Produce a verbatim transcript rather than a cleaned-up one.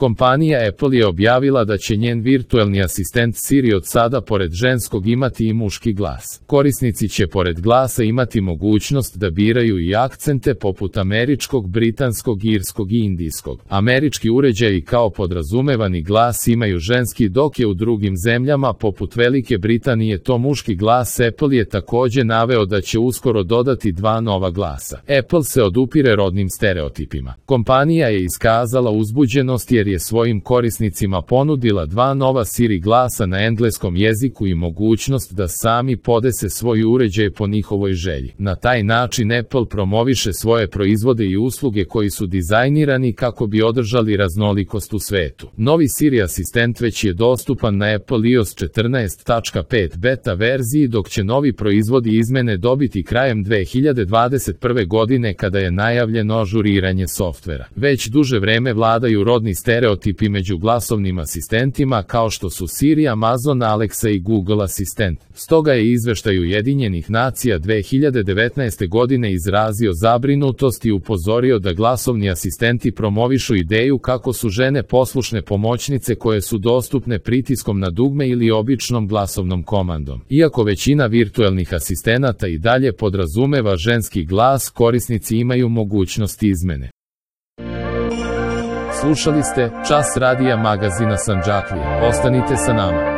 Kompanija Apple je objavila da će njen virtuelni asistent Siri od sada pored ženskog imati i muški glas. Korisnici će pored glasa imati mogućnost da biraju i akcente poput američkog, britanskog, irskog i indijskog. Američki uređaji kao podrazumevani glas imaju ženski, dok je u drugim zemljama poput Velike Britanije to muški glas. Apple je također naveo da će uskoro dodati dva nova glasa. Apple se odupire rodnim stereotipima. Kompanija je iskazala uzbuđenost jer je svojim korisnicima ponudila dva nova Siri glasa na engleskom jeziku i mogućnost da sami podese svoj uređaj po njihovoj želji. Na taj način Apple promoviše svoje proizvode i usluge koji su dizajnirani kako bi održali raznolikost u svetu. Novi Siri asistent već je dostupan na Apple i O S četrnaest tačka pet beta verziji, dok će novi proizvodi izmene dobiti krajem dve hiljade dvadeset prve godine kada je najavljeno ažuriranje softvera. Već duže vreme vladaju rodni stereotipi među glasovnim asistentima kao što su Siri, Amazon, Alexa i Google asistent. Stoga je izveštaj Ujedinjenih nacija dve hiljade devetnaeste godine izrazio zabrinutost i upozorio da glasovni asistenti promovišu ideju kako su žene poslušne pomoćnice koje su dostupne pritiskom na dugme ili običnom glasovnom komandom. Iako većina virtuelnih asistenata i dalje podrazumeva ženski glas, korisnici imaju mogućnost izmene. Slušali ste Čas radija magazina Sandžaklija. Ostanite sa nama.